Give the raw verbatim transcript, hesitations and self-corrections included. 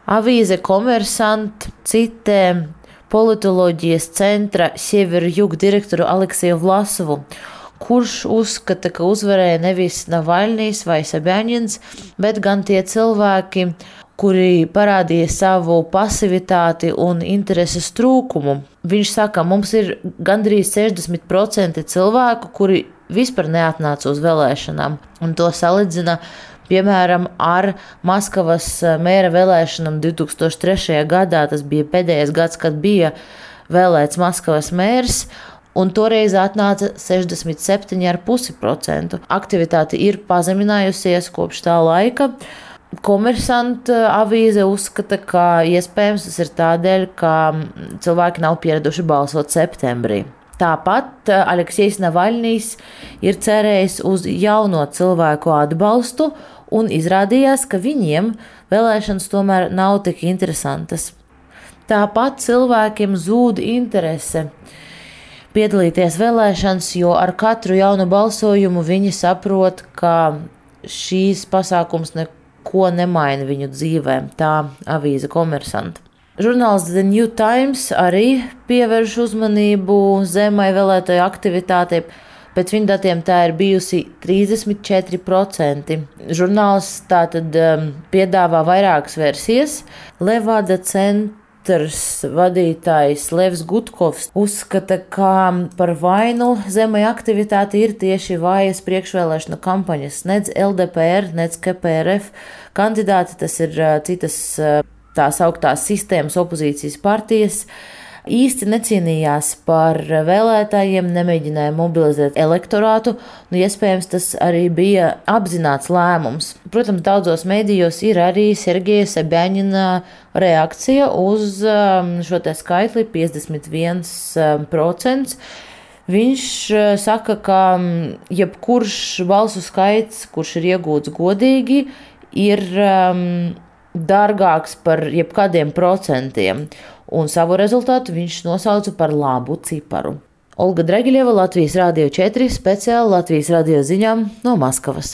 Avīze Komersant citē politoloģijas centra Siever-Jug direktoru Aleksiju Vlasovu, kurš uzskata, ka uzvarēja nevis Navaļnijs vai Sobjaņins, bet gan tie cilvēki, kuri parādīja savu pasivitāti un intereses trūkumu. Viņš saka, mums ir gandrīz sešdesmit procenti cilvēku, kuri vispār neatnāca uz vēlēšanām, un to salīdzina piemēram ar Maskavas mēra vēlēšanām divi tūkstoši trešajā gadā. Tas bija pēdējais gads, kad bija vēlēts Maskavas mērs, un toreiz atnāca sešdesmit septiņi komats pieci procenti. Aktivitāte ir pazeminājusies kopš tā laika. Komersant avīze uzskata, ka iespējams tas ir tādēļ, ka cilvēki nav pieraduši balsot septembrī. Tāpat Aleksejs Navaļnijs ir cerējis uz jauno cilvēku atbalstu, un izrādījās, ka viņiem vēlēšanas tomēr nav tik interesantas. Tāpat cilvēkiem zūd interese piedalīties vēlēšanas, jo ar katru jaunu balsojumu viņi saprot, ka šīs pasākums neko nemaina viņu dzīvē. Tā avīze Komersant. Žurnāls The New Times arī pievērš uzmanību zemai vēlētāju aktivitātei. Pēc viņa datiem tā ir bijusi trīsdesmit četri procenti. Žurnāls tātad um, piedāvā vairākas versijas. Levada centrs vadītājs Levs Gutkovs uzskata, ka par vainu zemai aktivitāti ir tieši vājas priekšvēlēšanu kampaņas. Nec L D P R, nec K P R F kandidāti, tas ir uh, citas uh, tās augtās sistēmas opozīcijas partijas, īsti necīnījās par vēlētājiem, nemēģināja mobilizēt elektorātu, un iespējams tas arī bija apzināts lēmums. Protams, daudzos mēdījos ir arī Sergeja Sobjaņina reakcija uz šo te skaitli piecdesmit viens procents. Viņš saka, ka jebkurš balsu skaits, kurš ir iegūts godīgi, ir um, dārgāks par jebkādiem procentiem, un savu rezultātu viņš nosauca par labu ciparu. Olga Dragiļeva, Latvijas Radio četri, speciāli Latvijas radio ziņām no Maskavas.